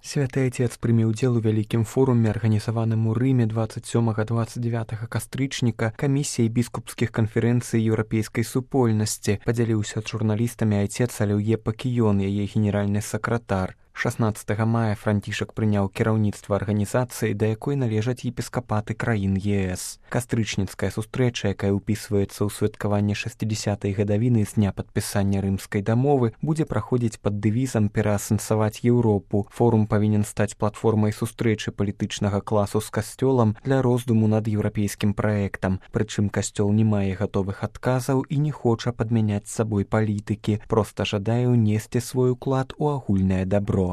Святы Отец прыме ўдзел у вялікім форуме, арганізаваным у Рыме 27-29 кастрычніка камісіяй біскупскіх канферэнцый еўрапейскай супольнасці. Падзяліўся з журналістамі Отец Алеўе Пакіён, яе генеральны сакратар. 16 мая Францішак прыняў кіраўніцтва арганізацыі, да якой належаць епіскапаты краін ЕС. Кастрычніцкая сустрэча, якая ўпісваецца ў святкаванне 60-й гадавіны з дня падпісання рымскай дамовы, будзе праходзіць пад дэвізам «Пераасэнсаваць Еўропу». Форум павінен стаць платформай сустрэчы палітычнага класу з касцёлам для роздуму над еўрапейскім праектам. Прычым касцёл не мае гатовых адказаў і не хоча падмяняць з сабой палітыкі, проста жадае ўнесці свой уклад у агульнае дабро.